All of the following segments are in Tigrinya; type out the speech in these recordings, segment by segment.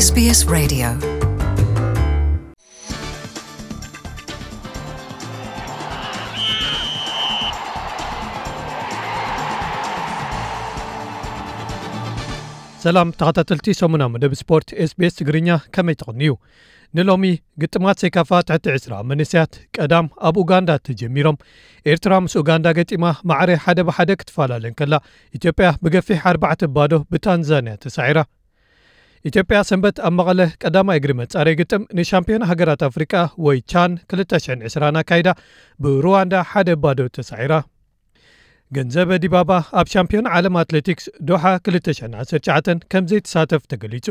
SBS Radio. ሰላም ተኸታተልቲ ሰሙና መደብ ስፖርት SBS ትግርኛ፣ ከመይ ትቕንዩ? ንሎሚ ግጥማት ሴካፋ ትሕቲ ዕስራ መንእሰያት ቀዳም ኣብ ኡጋንዳ ተጀሚሮም። ኤርትራ ምስ ኡጋንዳ ገጢማ ማዕረ ሓደ ብሓደ ክትፈላለ እንከላ፣ ኢትዮጵያ ብገፊሕ ኣርባዕተ ባዶ ብታንዛንያ ተሳዒራ። ኢትዮጵያ ሰንበት ኣብ መቐለ ቀዳማይ እግሪ መጻረይ ግጥም ንሻምፒዮን ሃገራት ኣፍሪቃ ወይ ቻን ክልተ ሽሕን ዕስራን ኣካይዳ ብሩዋንዳ ሓደ ባዶ ተሳዒራ። ገንዘበ ዲባባ ኣብ ሻምፒዮን ዓለም ኣትሌቲክስ ዶሓ ክልተ ሽሕን ዓሰርተ ትሽዓተን ከም ዘይተሳተፍ ተገሊጹ።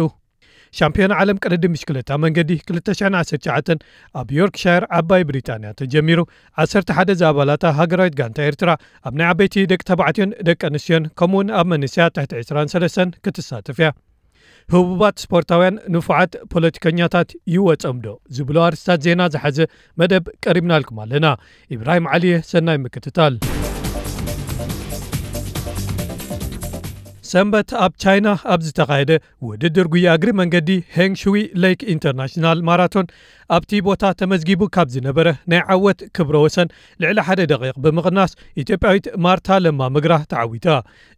ሻምፒዮን ዓለም ቅድድም ብሽክለታ መንገዲ ክልተ ሽሕን ዓሰርተ ትሽዓተን ኣብ ዮርክሻየር ዓባይ ብሪጣንያ ተጀሚሩ። ዓሰርተ ሓደ ዝኣባላታ ሃገራዊት ጋንታ ኤርትራ ኣብ ናይ ዓበይቲ ደቂ ተባዕትዮን ደቂ ኣንስትዮን ከምኡውን ኣብ መንእሰያት ትሕቲ ዕስራን ሰለስተን ክትሳተፍ እያ። ህቡባት ስፖርታውያን ንፉዓት ፖለቲከኛታት ይወጾም ዶ ዝብሉ ኣርስታት ዜና ዝሓዘ መደብ ቀሪብናልኩም ኣለና። ኢብራሂም ዓሊየ፣ ሰናይ ምክትታል። ሰንበት ኣብ ቻይና ኣብ ዝተኻየደ ውድድር ጉያ እግሪ መንገዲ ሄንግ ሽዊ ሌክ ኢንተርናሽናል ማራቶን ኣብቲ ቦታ ተመዝጊቡ ካብ ዝነበረ ናይ ዓወት ክብረ ወሰን ልዕሊ ሓደ ደቂቕ ብምቕናስ ኢትዮጵያዊት ማርታ ለማ መግራ ተዓዊታ።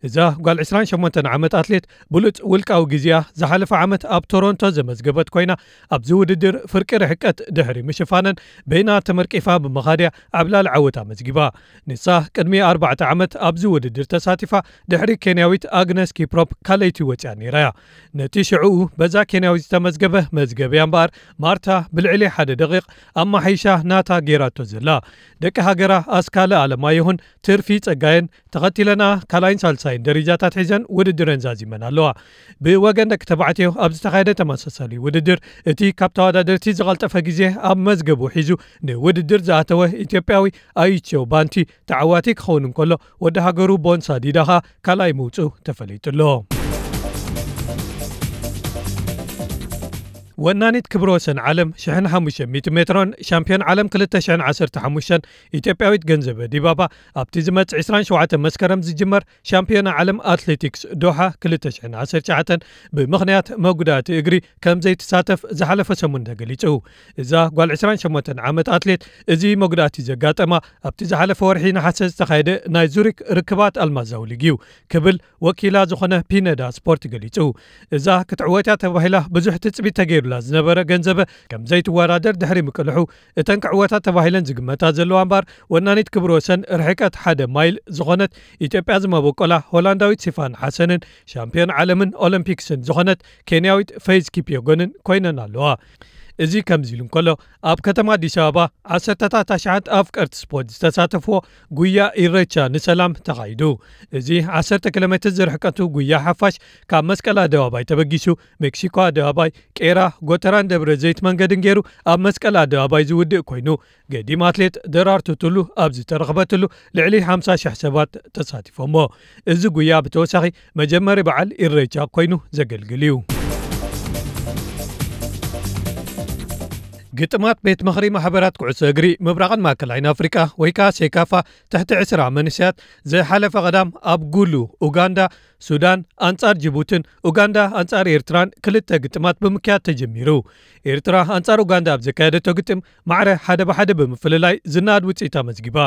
እዛ ጓል ዕስራን ሸሞንተን ዓመት ኣትሌት ብሉጽ ውልቃዊ ግዜኣ ዝሓለፈ ዓመት ኣብ ቶሮንቶ ዘመዝገበት ኮይና ኣብዚ ውድድር ፍርቂ ርሕቀት ድሕሪ ምሽፋነን በይና ተመርቂፋ ብምኻድያ ዓብላሊ ዓወት ኣመዝጊባ። ንሳ ቅድሚ ኣርባዕተ ዓመት ኣብዚ ውድድር ተሳቲፋ ድሕሪ ኬንያዊት ኣግነስ ኪፕሮፕ ካልኣይቲ ወጺኣ ነይራ እያ። ነቲ ሽዕኡ በዛ ኬንያዊት ዝተመዝገበ መዝገብ እያ እምበኣር ማርታ ብልዕሊ ሓደ ደቂቕ ኣማሓይሻ ናታ ገይራቶ ዘላ። ደቂ ሃገራ ኣስካለ ኣለማየሁን ትርፊ ጸጋየን ተኸቲለና ካልኣይን ሳልሳይን ደረጃታት ሒዘን ውድድረን ዛዚመን ኣለዋ። ብወገን ደቂ ተባዕትዮ ኣብ ዝተኻየደ ተመሳሳሊ ውድድር እቲ ካብ ተወዳደርቲ ዝቐልጠፈ ግዜ ኣብ መዝገቡ ሒዙ ንውድድር ዝኣተወ ኢትዮጵያዊ ኣይቸው ባንቲ ተዓዋቲ ክኸውን እንከሎ፣ ወዲ ሃገሩ ቦንሳ ዲዳ ኸኣ ካልኣይ ምውጽኡ ተፈሊጡ ኣሎ። ወናኒት ክብረ ወሰን ዓለም ሽሕን ሓሙሽተ ሚእቲ ሜትሮን ሻምፒዮን ዓለም ክልተ ሽሕን ዓሰርተ ሓሙሽተን ኢትዮጵያዊት ገንዘበ ዲባባ ኣብቲ ዝመጽእ ዕስራን ሸውዓተን መስከረም ዝጅመር ሻምፒዮና ዓለም ኣትሌቲክስ ዶሓ ክልተ ሽሕን ዓሰርተ ትሽዓተን ብምኽንያት መጉዳእቲ እግሪ ከም ዘይትሳተፍ ዝሓለፈ ሰሙን ተገሊጹ። እዛ ጓል ዕስራን ሸሞንተን ዓመት ኣትሌት እዚ መጉዳእቲ ዘጋጠማ ኣብቲ ዝሓለፈ ወርሒ ነሓሰ ዝተኻየደ ናይ ዙሪክ ርክባት ኣልማዛዊ ሊግ እዩ ክብል ወኪላ ዝኾነ ፒነዳ ስፖርት ገሊጹ። እዛ ክትዕወት እያ ተባሂላ ብዙሕ ትጽቢት ተገይሩላ ዝነበረ ገንዘበ ከም ዘይትወዳደር ድሕሪ ምቅልሑ፣ እተን ክዕወታ ተባሂለን ዝግመታ ዘለዋ እምበኣር ወናኒት ክብረ ወሰን ርሕቀት ሓደ ማይል ዝኾነት ኢትዮጵያ ዝመበቆላ ሆላንዳዊት ሲፋን ሓሰንን ሻምፒዮን ዓለምን ኦሎምፒክስን ዝኾነት ኬንያዊት ፌዝ ኪፕዮጎንን ኮይነን ኣለዋ። እዚ ከምዚ ኢሉ እንከሎ፣ ኣብ ከተማ ኣዲስ ኣበባ ዓሰርተታት ኣሽሓት ኣፍቀርቲ ስፖርት ዝተሳተፍዎ ጉያ ኢሬቻ ንሰላም ተኻይዱ። እዚ ዓሰርተ ኪሎ ሜትር ዝርሕቀቱ ጉያ ሓፋሽ ካብ መስቀል ኣደባባይ ተበጊሱ ሜክሲኮ ኣደባባይ፣ ቄራ፣ ጎተራን ደብረ ዘይት መንገድን ገይሩ ኣብ መስቀል ኣደባባይ ዝውድእ ኮይኑ፣ ገዲም ኣትሌት ደራርቱ ቱሉ ኣብ ዝተረኽበትሉ ልዕሊ ሓምሳ ሽሕ ሰባት ተሳቲፎሞ። እዚ ጉያ ብተወሳኺ መጀመሪ በዓል ኢሬቻ ኮይኑ ዘገልግል እዩ። ግጥማት ቤት ምኽሪ ማሕበራት ኩዕሶ እግሪ ምብራቕን ማእከላይን ኣፍሪቃ ወይ ከኣ ሴካፋ ትሕቲ ዕስራ መንእሰያት ዝሓለፈ ቀዳም ኣብ ጉሉ ኡጋንዳ ሱዳን ኣንጻር ጅቡትን ኡጋንዳ ኣንጻር ኤርትራን ክልተ ግጥማት ብምክያድ ተጀሚሩ። ኤርትራ ኣንጻር ኡጋንዳ ኣብ ዘካየደቶ ግጥም ማዕረ ሓደ ብሓደ ብምፍልላይ ዝነኣድ ውጽኢት ኣመዝጊባ።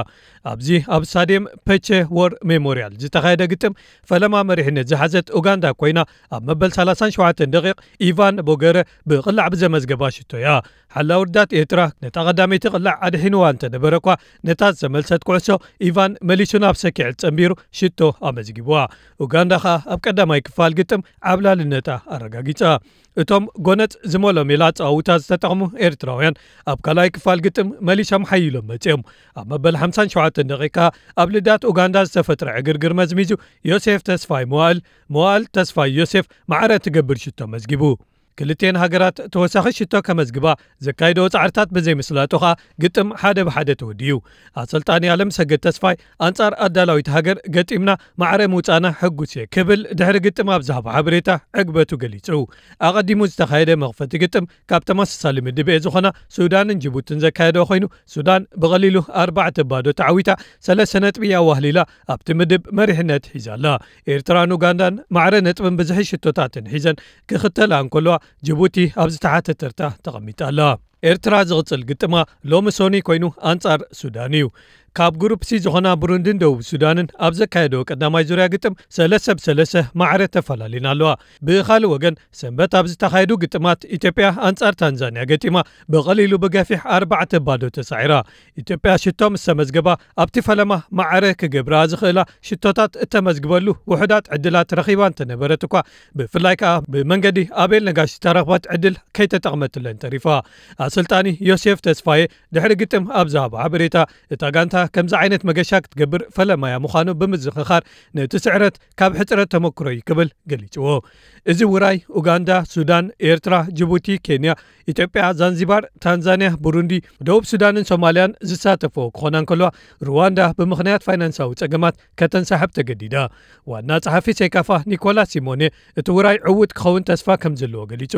ኣብዚ ኣብ ስታድየም ፐቼ ዎር ሜሞርያል ዝተኻየደ ግጥም ፈለማ መሪሕነት ዝሓዘት ኡጋንዳ ኮይና ኣብ መበል ሰላሳን ሸውዓተን ደቂቕ ኢቫን ቦገረ ብቕላዕ ብዘመዝገባ ሽቶ እያ። ሓላው ርዳት ኤርትራ ነታ ቀዳመይቲ ቅላዕ ኣድሒንዋ እንተነበረ እኳ፣ ነታ ዝተመልሰት ኩዕሶ ኢቫን መሊሱ ናብ ሰኪዐት ጸንቢሩ ሽቶ ኣመዝጊብዋ። ኡጋንዳ ኸኣ ኣብ ቀዳማይ ክፋል ግጥም ዓብላልነታ ኣረጋጊጻ። እቶም ጎነጽ ዝመሎ ሜላ ኣጸዋውታ ዝተጠቕሙ ኤርትራውያን ኣብ ካልኣይ ክፋል ግጥም መሊሶም ሓይሎም መጺኦም። ኣብ መበል ሓምሳን ሸውዓተን ደቂቃ ኣብ ልዳት ኡጋንዳ ዝተፈጥረ ዕግርግር መዝሚዙ ዮሴፍ ተስፋይ መዋእል፣ መዋእል ተስፋይ ዮሴፍ ማዕረ ትገብር ሽቶ መዝጊቡ። ክልቴን ሃገራት ተወሳኺ ሽቶ ከመዝግባ ዘካይደኦ ጻዕርታት ብዘይምስላጡ ኸኣ ግጥም ሓደ ብሓደ ተወዲኡ። ኣሰልጣኒ ኣለምሰገድ ተስፋይ ኣንጻር ኣዳላዊት ሃገር ገጢምና ማዕረ ምውጻእና ሕጉስ እየ ክብል ድሕሪ ግጥም ኣብ ዝሃቦ ሓበሬታ ዕግበቱ ገሊጹ። ኣቐዲሙ ዝተኻየደ መኽፈቲ ግጥም ካብ ተመሳሳሊ ምድብ ኤ ዝኾና ሱዳንን ጅቡትን ዘካየደኦ ኮይኑ፣ ሱዳን ብቐሊሉ ኣርባዕተ ባዶ ተዓዊታ ሰለስተ ነጥቢ ኣዋህሊላ ኣብቲ ምድብ መሪሕነት ሒዛ ኣላ። ኤርትራን ኡጋንዳን ማዕረ ነጥብን ብዝሒ ሽቶታትን ሒዘን ክኽተላ እንከለዋ፣ ጅቡቲ ኣብ ዝተሓተ ተርታ ተቐሚጣ ኣላ። ኤርትራ ዝቕጽል ግጥማ ሎሚ ሶኒ ኮይኑ ኣንጻር ሱዳን እዩ። ካብ ግሩፕ ሲ ዝኾና ብሩንድን ደቡብ ሱዳንን ኣብ ዘካየደዎ ቀዳማይ ዙርያ ግጥም ሰለስተ ብ ሰለስተ ማዕረ ተፈላለዩን ኣለዋ። ብኻልእ ወገን ሰንበት ኣብ ዝተኻየዱ ግጥማት ኢትዮጵያ ኣንጻር ታንዛንያ ገጢማ ብቐሊሉ ብገፊሕ ኣርባዕተ ባዶ ተሳዒራ። ኢትዮጵያ ሽቶ ምስ ተመዝገባ ኣብቲ ፈለማ ማዕረ ክገብራ ዝኽእላ ሽቶታት እተመዝግበሉ ውሑዳት ዕድላት ረኺባ እንተነበረት እኳ ብፍላይ ከኣ ብመንገዲ ኣቤል ነጋሽ ዝተረኽበት ዕድል ከይተጠቕመትለን ተሪፋ። ኣሰልጣኒ ዮሴፍ ተስፋዬ ድሕሪ ግጥም ኣብ ዝሃቦ ሓበሬታ እታ ጋንታ ከምዚ ዓይነት መገሻ ክትገብር ፈለማያ ምዃኑ ብምዝኽኻር ነቲ ስዕረት ካብ ሕጽረት ተመክሮ እዩ ክብል ገሊጽዎ። እዚ ውራይ ኡጋንዳ፣ ሱዳን፣ ኤርትራ፣ ጅቡቲ፣ ኬንያ፣ ኢትዮጵያ፣ ዛንዚባር፣ ታንዛንያ፣ ቡሩንዲ፣ ደቡብ ሱዳንን ሶማልያን ዝሳተፍዎ ክኾና እንከልዋ ሩዋንዳ ብምኽንያት ፋይናንሳዊ ጸገማት ከተንሳሕብ ተገዲዳ። ዋና ጸሓፊ ሴካፋ ኒኮላስ ሲሞኔ እቲ ውራይ ዕዉት ክኸውን ተስፋ ከም ዘለዎ ገሊጹ።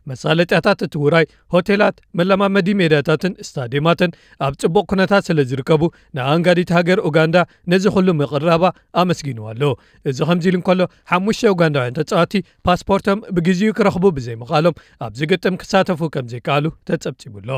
መሳለጥያታት እቲ ውራይ ሆቴላት፣ መለማመዲ ሜዳታትን ስታዲየማትን ኣብ ጽቡቕ ኩነታት ስለ ዝርከቡ ንኣንጋዲት ሃገር ኡጋንዳ ነዚ ኩሉ ምቕራባ ኣመስጊንዋ ኣሎ። እዚ ከምዚ ኢሉ እንከሎ ሓሙሽተ ኡጋንዳውያን ተጻወቲ ፓስፖርቶም ብግዜኡ ክረኽቡ ብዘይምኽኣሎም ኣብዚ ግጥም ክሳተፉ ከም ዘይከኣሉ ተጸብጺቡ ኣሎ።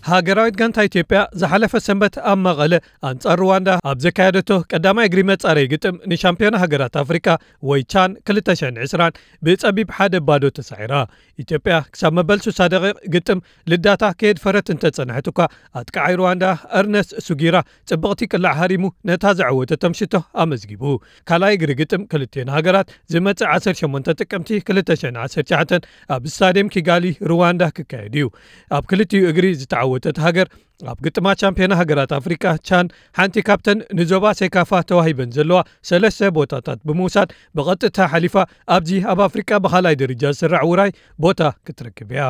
ሃገራዊት ጋንታ ኢትዮጵያ ዝሓለፈ ሰንበት ኣብ መቐለ ኣንጻር ሩዋንዳ ኣብ ዘካየደቶ ቀዳማይ እግሪ መጻረይ ግጥም ንሻምፒዮና ሃገራት ኣፍሪቃ ወይ ቻን ክልተ ሽሕን ዕስራን ብጸቢብ ሓደ ባዶ ተሳዒራ። ኢትዮጵያ ክሳብ መበል ስሳ ደቂቕ ግጥም ልዳታ ከየድፈረት እንተጸንሐት እኳ ኣጥቃዓይ ሩዋንዳ እርነስት ሱጊራ ጽብቕቲ ቅላዕ ሃሪሙ ነታ ዘዐወተቶም ሽቶ ኣመዝጊቡ። ካልኣይ እግሪ ግጥም ክልቲኤን ሃገራት ዝመጽእ ዓሰርተ ሸሞንተ ጥቅምቲ ክልተ ሽሕን ዓሰርተ ትሽዓተን ኣብ ስታድየም ኪጋሊ ሩዋንዳ ክካየድ እዩ። ኣብ ክልቲኡ እግሪ ዝተዓወተት ሃገር ኣብ ግጥማት ቻምፒዮና ሃገራት ኣፍሪቃ ቻን ሓንቲ ካብተን ንዞባ ሴካፋ ተዋሂበን ዘለዋ ሰለስተ ቦታታት ብምውሳድ ብቐጥታ ሓሊፋ ኣብዚ ኣብ ኣፍሪቃ ብኻልኣይ ደረጃ ዝስራዕ ውራይ ቦታ ክትረክብ እያ።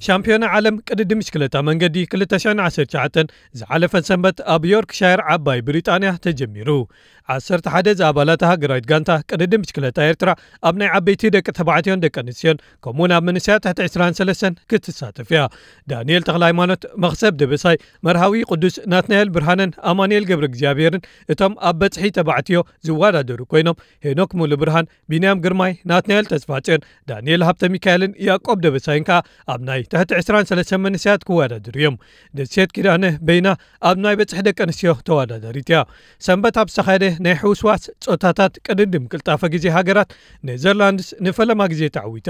ሻምፒዮና ዓለም ቅድድም ብሽክለታ መንገዲ ክልተ ሽሕን ዓሰርተ ትሽዓተን ዝሓለፈን ሰንበት ኣብ ዮርክሻየር ዓባይ ብሪጣንያ ተጀሚሩ። ዓሰርተ ሓደ ዝኣባላታ ሃገራዊት ጋንታ ቅድድም ብሽክለታ ኤርትራ ኣብ ናይ ዓበይቲ ደቂ ተባዕትዮን ደቂ ኣንስትዮን ከምኡውን ኣብ መንእሰያት ትሕቲ ዕስራን ሰለስተን ክትሳተፍ እያ። ዳንኤል ተኽለ ሃይማኖት፣ መኽሰብ ደበሳይ፣ መርሃዊ ቅዱስ፣ ናትናኤል ብርሃነን ኣማኑኤል ገብረ እግዚኣብሔርን እቶም ኣብ በጽሒ ተባዕትዮ ዝወዳደሩ ኮይኖም ሄኖክ ሙሉ ብርሃን፣ ቢንያም ግርማይ፣ ናትናኤል ተስፋጽዮን፣ ዳንኤል ሃብተ ሚካኤልን ያዕቆብ ደበሳይን ከኣ ኣብ ናይ ትሕቲ ዕስራን ሰለስተን መንእሰያት ክወዳደሩ እዮም። ደሴት ኪዳነ በይና ኣብ ናይ በጽሒ ደቂ ኣንስትዮ ተወዳዳሪት እያ። ሰንበት ኣብ ዝተኻየደ ናይ ሕውስዋስ ጾታታት ቅድድም ቅልጣፈ ግዜ ሃገራት ኔዘርላንድስ ንፈለማ ግዜ ተዓዊታ።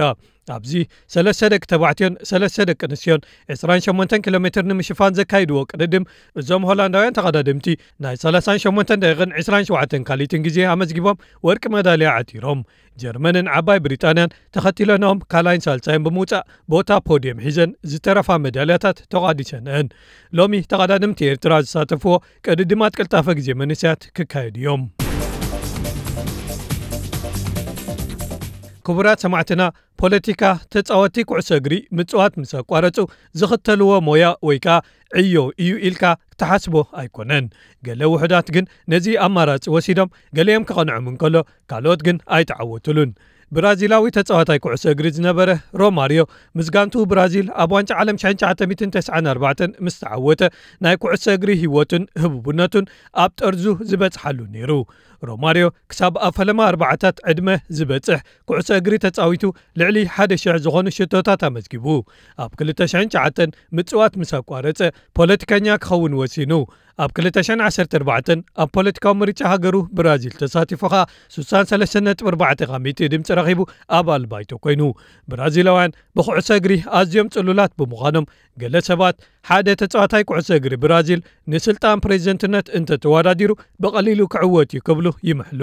ኣብዚ ሰለስተ ደቂ ተባዕትዮን ሰለስተ ደቂ ኣንስትዮን ዕስራን ሸሞንተን ኪሎ ሜትር ንምሽፋን ዘካይድዎ ቅድድም እዞም ሆላንዳውያን ተቐዳደምቲ ናይ ሰላሳን ሸሞንተን ደቂቕን ዕስራን ሸውዓተን ካልኢትን ግዜ ኣመዝጊቦም ወርቂ መዳልያ ዓቲሮም። ጀርመንን ዓባይ ብሪጣንያን ተኸቲለንኦም ካልኣይን ሳልሳይን ብምውጻእ ቦታ ፖድየም ሒዘን ዝተረፋ መዳልያታት ተቋዲሰንአን። ሎሚ ተቐዳደምቲ ኤርትራ ዝሳተፍዎ ቅድድማት ቅልጣፈ ግዜ መንእሰያት ክካየዱ እዮም። ክቡራት ሰማዕትና፣ ፖለቲካ ተጻወቲ ኩዕሶ እግሪ ምጽዋት ምስ ኣቋረጹ ዝኽተልዎ ሞያ ወይ ከኣ ዕዮ እዩ ኢልካ ክትሓስቦ ኣይኮነን። ገለ ውሑዳት ግን ነዚ ኣማራጺ ወሲዶም፣ ገሊኦም ክቐንዖም እንከሎ ካልኦት ግን ኣይተዓወቱሉን። ብራዚላዊ ተጻዋታይ ኩዕሶ እግሪ ዝነበረ ሮማርዮ ምስ ጋንቱ ብራዚል ኣብ ዋንጫ ዓለም ሽሕን ትሽዓተ ሚእትን ተስዓን ኣርባዕተን ምስ ተዓወተ ናይ ኩዕሶ እግሪ ህይወቱን ህቡብነቱን ኣብ ጠርዙ ዝበጽሓሉ ነይሩ። ሮማርዮ ክሳብ ኣብ ፈለማ ኣርባዓታት ዕድመ ዝበጽሕ ኩዕሶ እግሪ ተጻዊቱ ልዕሊ ሓደ ሽሕ ዝኾኑ ሽቶታት ኣመዝጊቡ። ኣብ ክልተ ሽሕን ትሽዓተን ምጽዋት ምስ ኣቋረጸ ፖለቲከኛ ክኸውን ወሲኑ። ኣብ ክልተ ሽሕን ዓሰርተ ኣርባዕተን ኣብ ፖለቲካዊ ምርጫ ሃገሩ ብራዚል ተሳቲፉ ኸኣ ስሳን ሰለስተን ነጥቢ ኣርባዕተ ካብ ሚእቲ ድምጺ ረኺቡ ኣባል ባይቶ ኮይኑ። ብራዚላውያን ብኩዕሶ እግሪ ኣዝዮም ጽሉላት ብምዃኖም ገለ ሰባት ሓደ ተጻዋታይ ኩዕሶ እግሪ ብራዚል ንስልጣን ፕሬዚደንትነት እንተተወዳዲሩ ብቐሊሉ ክዕወት እዩ ክብሉ ይምሕሉ።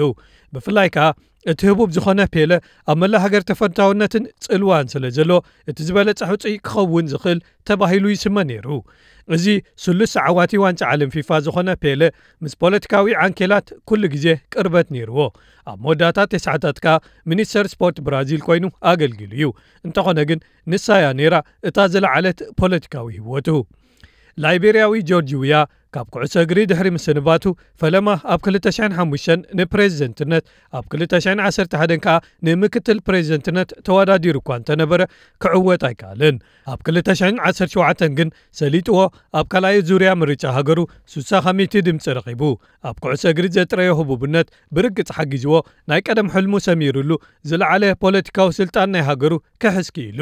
ብፍላይ ከኣ እቲ ህቡብ ዝኾነ ፔለ ኣብ መላእ ሃገር ተፈታውነትን ጽልዋን ስለ ዘለዎ እቲ ዝበለጸ ሕጹይ ክኸውን ዝኽእል ተባሂሉ ይስመ ነይሩ። እዚ ስሉስ ዓዋቲ ዋንጫ ዓለም ፊፋ ዝኾነ ፔለ ምስ ፖለቲካዊ ዓንኬላት ኩሉ ግዜ ቅርበት ነይርዎ። ኣብ መወዳእታ ተስዓታት ከኣ ሚኒስተር ስፖርት ብራዚል ኮይኑ ኣገልጊሉ እዩ። እንተኾነ ግን ንሳ እያ ነይራ እታ ዝለዓለት ፖለቲካዊ ህይወቱ። ላይቤርያዊ ጆርጅ ዊያ ካብ ኩዕሶ እግሪ ድሕሪ ምስንባቱ፣ ፈለማ ኣብ ክልተ ሽሕን ሓሙሽተን ንፕሬዝደንትነት፣ ኣብ ክልተ ሽሕን ዓሰርተ ሓደን ከኣ ንምክትል ፕሬዝደንትነት ተወዳዲሩ እኳ እንተነበረ፣ ክዕወት ኣይከኣለን። ኣብ ክልተ ሽሕን ዓሰርተ ሸውዓተን ግን ሰሊጥዎ፣ ኣብ ካልኣይ ዙርያ ምርጫ ሃገሩ ሱሳ ካብ ሚእቲ ድምጺ ረኺቡ። ኣብ ኩዕሶ እግሪ ዘጥረዮ ህቡብነት ብርግጽ ሓጊዝዎ፣ ናይ ቀደም ሕልሙ ሰሚሩሉ፣ ዝለዓለ ፖለቲካዊ ስልጣን ናይ ሃገሩ ክሕዝ ክኢሉ።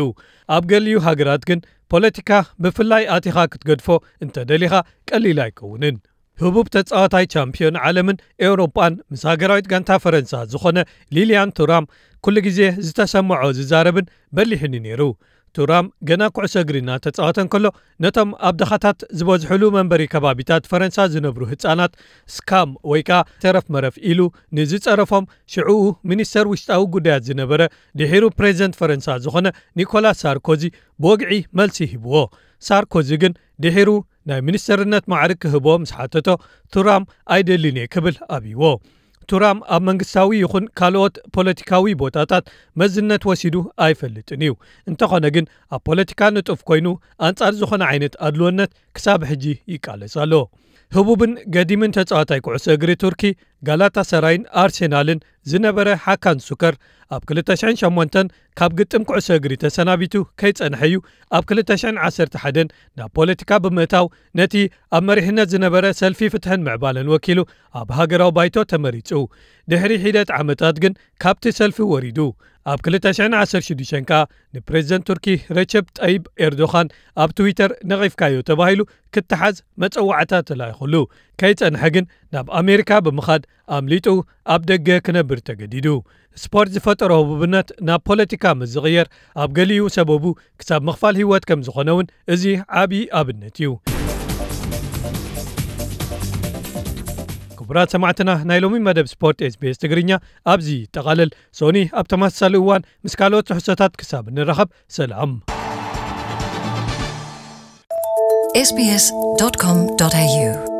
ኣብ ገሊኡ ሃገራት ግን ፖለቲካ ብፍላይ ኣቲኻ ክትገድፎ እንተደሊኻ ቀሊል ኣይከውንን። ህቡብ ተጻዋታይ ቻምፒዮን ዓለምን ኤውሮጳን ምስ ሃገራዊት ጋንታ ፈረንሳ ዝኾነ ሊልያን ቱራም ኩሉ ግዜ ዝተሰምዖ ዝዛረብን በሊሕን እዩ ነይሩ። ቱራም ገና ኩዕሶ እግሪ እናተጻወተ እንከሎ ነቶም ኣብ ድኻታት ዝበዝሕሉ መንበሪ ከባቢታት ፈረንሳ ዝነብሩ ህጻናት ስካም ወይ ከኣ ተረፍ መረፍ ኢሉ ንዝጸረፎም ሽዕኡ ሚኒስተር ውሽጣዊ ጉዳያት ዝነበረ ድሒሩ ፕሬዝደንት ፈረንሳ ዝኾነ ኒኮላስ ሳርኮዚ ብወግዒ መልሲ ሂብዎ። ሳርኮዚ ግን ድሒሩ ናይ ሚኒስተርነት ማዕርግ ክህቦ ምስ ሓተቶ ቱራም ኣይደልን እየ ክብል ኣብይዎ። ቱራም ኣብ መንግስታዊ ይኹን ካልኦት ፖለቲካዊ ቦታታት መዝነት ወሲዱ ኣይፈልጥን እዩ። እንተኾነ ግን ኣብ ፖለቲካ ንጡፍ ኮይኑ ኣንጻር ዝኾነ ዓይነት ኣድልወነት ክሳብ ሕጂ ይቃለስ ኣሎ። ህቡብን ገዲምን ተጻዋታይ ኩዕሶ እግሪ ቱርኪ ጋላታሰራይን ኣርሴናልን ዝነበረ ሓካን ሱከር ኣብ ክልተ ሽሕን ሸሞንተን ካብ ግጥም ኩዕሶ እግሪ ተሰናቢቱ ከይጸንሐ እዩ ኣብ ክልተ ሽሕን ዓሰርተ ሓደን ናብ ፖለቲካ ብምእታው ነቲ ኣብ መሪሕነት ዝነበረ ሰልፊ ፍትሕን ምዕባለን ወኪሉ ኣብ ሃገራዊ ባይቶ ተመሪጹ። ድሕሪ ሒደት ዓመታት ግን ካብቲ ሰልፊ ወሪዱ። ኣብ ክልተ ሽሕን ዓሰርተ ሽዱሽተን ከኣ ንፕሬዝደንት ቱርኪ ረቸብ ጠይብ ኤርዶኻን ኣብ ትዊተር ነቒፍካዮ ተባሂሉ ክተሓዝ መጸዋዕታ ተላኢኹሉ። ከይጸንሐ ግን ናብ ኣሜሪካ ብምኻድ ኣምሊጡ ኣብ ደገ ክነብር ተገዲዱ። ስፖርት ዝፈጠሮ ህቡብነት ናብ ፖለቲካ ምስ ዝቕየር ኣብ ገሊኡ ሰበቡ ክሳብ ምኽፋል ህይወት ከም ዝኾነ እውን እዚ ዓቢ ኣብነት እዩ። ክቡራት ሰማዕትና፣ ናይ ሎሚ መደብ ስፖርት ኤስቢኤስ ትግርኛ ኣብዚ ይጠቓለል። ሶኒ ኣብ ተመሳሳሊ እዋን ምስ ካልኦት ትሕዝቶታት ክሳብ እንራኸብ ሰላም። ኤስቢኤስ ዶት ኮም ዶት ኤዩ